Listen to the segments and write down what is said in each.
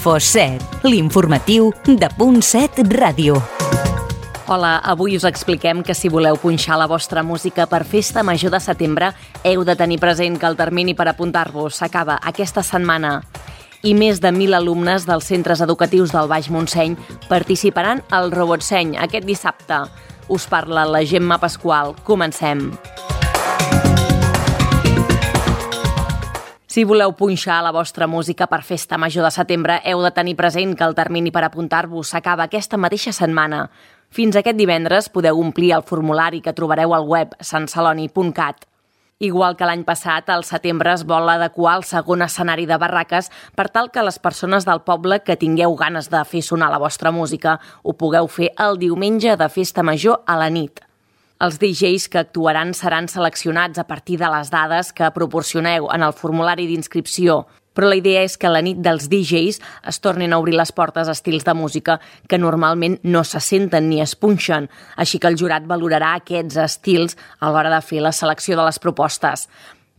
Info7, l'informatiu de .7 Ràdio. Hola, avui us expliquem que si voleu punxar la vostra música per Festa Major de setembre, heu de tenir present que el termini per apuntar-vos s'acaba aquesta setmana. I més de 1.000 alumnes dels centres educatius del Baix Montseny participaran al Robotseny aquest dissabte. Us parla la Gemma Pasqual. Comencem. Si voleu punxar la vostra música per Festa Major de setembre, heu de tenir present que el termini per apuntar-vos s'acaba aquesta mateixa setmana. Fins aquest divendres podeu omplir el formulari que trobareu al web santceloni.cat. Igual que l'any passat, al setembre es vol adequar el segon escenari de barraques per tal que les persones del poble que tingueu ganes de fer sonar la vostra música ho pugueu fer el diumenge de Festa Major a la nit. Els DJs que actuaran seran seleccionats a partir de les dades que proporcioneu en el formulari d'inscripció, però la idea és que a la nit dels DJs es tornin a obrir les portes a estils de música que normalment no se senten ni es punxen, així que el jurat valorarà aquests estils a l'hora de fer la selecció de les propostes.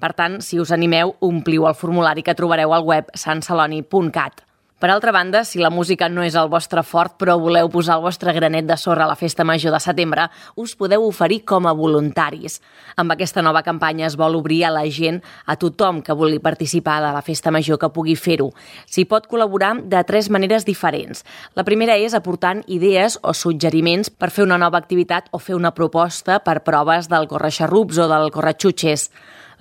Per tant, si us animeu, ompliu el formulari que trobareu al web santceloni.cat. Per altra banda, si la música no és el vostre fort però voleu posar el vostre granet de sorra a la Festa Major de setembre, us podeu oferir com a voluntaris. Amb aquesta nova campanya es vol obrir a la gent, a tothom que vulgui participar de la Festa Major que pugui fer-ho. S'hi pot col·laborar de 3 maneres diferents. La primera és aportant idees o suggeriments per fer una nova activitat o fer una proposta per proves del corre-xarrups o del corre-xutxes.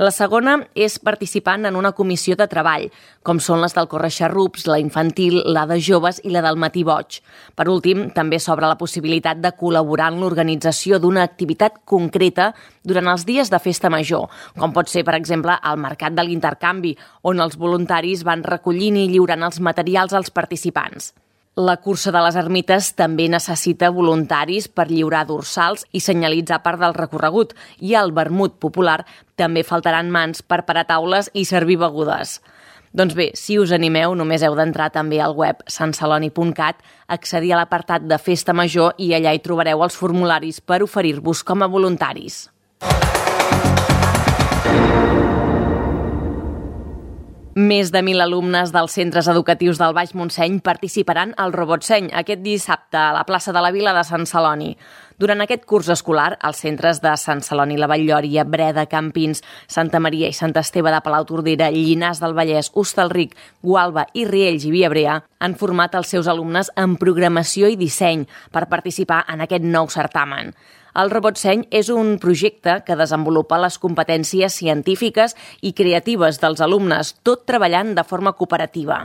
La segona és participant en una comissió de treball, com són les del corre-xarrups, la infantil, la de joves i la del matí boig. Per últim, també s'obre la possibilitat de col·laborar en l'organització d'una activitat concreta durant els dies de Festa Major, com pot ser, per exemple, el Mercat de l'Intercanvi, on els voluntaris van recollint i lliurant els materials als participants. La cursa de les ermites també necessita voluntaris per lliurar dorsals i senyalitzar part del recorregut, i al vermut popular també faltaran mans per parar taules i servir begudes. Doncs bé, si us animeu, només heu d'entrar també al web santceloni.cat, accedir a l'apartat de Festa Major i allà hi trobareu els formularis per oferir-vos com a voluntaris. Més de 1.000 alumnes dels centres educatius del Baix Montseny participaran al Robotseny aquest dissabte a la plaça de la Vila de Sant Celoni. Durant aquest curs escolar, els centres de Sant Celoni, la Vall-lloria, Breda, Campins, Santa Maria i Sant Esteve de Palautordera, Llinars del Vallès, Hostalric, Gualba i Riells i Viabrea han format els seus alumnes en programació i disseny per participar en aquest nou certamen. El Robotseny és un projecte que desenvolupa les competències científiques i creatives dels alumnes, tot treballant de forma cooperativa.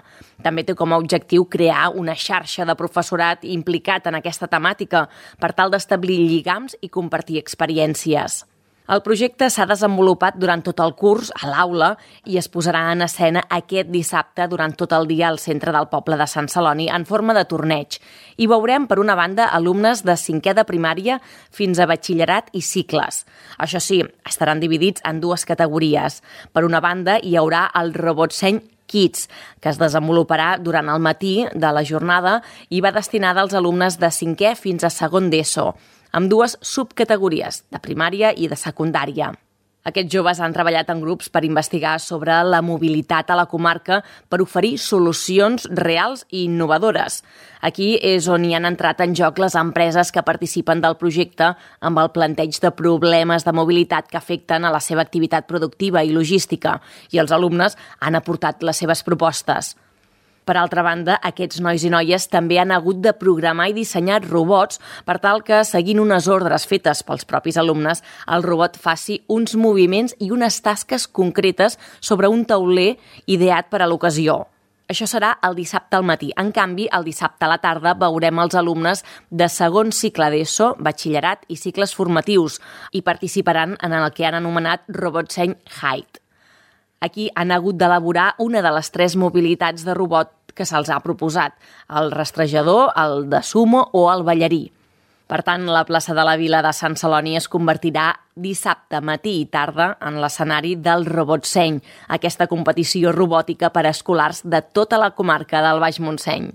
També té com a objectiu crear una xarxa de professorat implicat en aquesta temàtica per tal d'establir lligams i compartir experiències. El projecte s'ha desenvolupat durant tot el curs a l'aula i es posarà en escena aquest dissabte durant tot el dia al centre del poble de Sant Celoni en forma de torneig. Hi veurem, per una banda, alumnes de 5è de primària fins a batxillerat i cicles. Això sí, estaran dividits en 2 categories. Per una banda, hi haurà el Robotseny Kids, que es desenvoluparà durant el matí de la jornada i va destinada als alumnes de 5è fins a 2è d'ESO, amb 2 subcategories, de primària i de secundària. Aquests joves han treballat en grups per investigar sobre la mobilitat a la comarca per oferir solucions reals i innovadores. Aquí és on hi han entrat en joc les empreses que participen del projecte amb el planteig de problemes de mobilitat que afecten a la seva activitat productiva i logística, i els alumnes han aportat les seves propostes. Per altra banda, aquests nois i noies també han hagut de programar i dissenyar robots per tal que, seguint unes ordres fetes pels propis alumnes, el robot faci uns moviments i unes tasques concretes sobre un tauler ideat per a l'ocasió. Això serà el dissabte al matí. En canvi, el dissabte a la tarda veurem els alumnes de 2è cicle d'ESO, batxillerat i cicles formatius i participaran en el que han anomenat Robotseny Height. Aquí han hagut d'elaborar una de les 3 mobilitats de robot que se'ls ha proposat, el rastrejador, el de sumo o el ballarí. Per tant, la plaça de la Vila de Sant Celoni es convertirà dissabte matí i tarda en l'escenari del Robotseny, aquesta competició robòtica per a escolars de tota la comarca del Baix Montseny.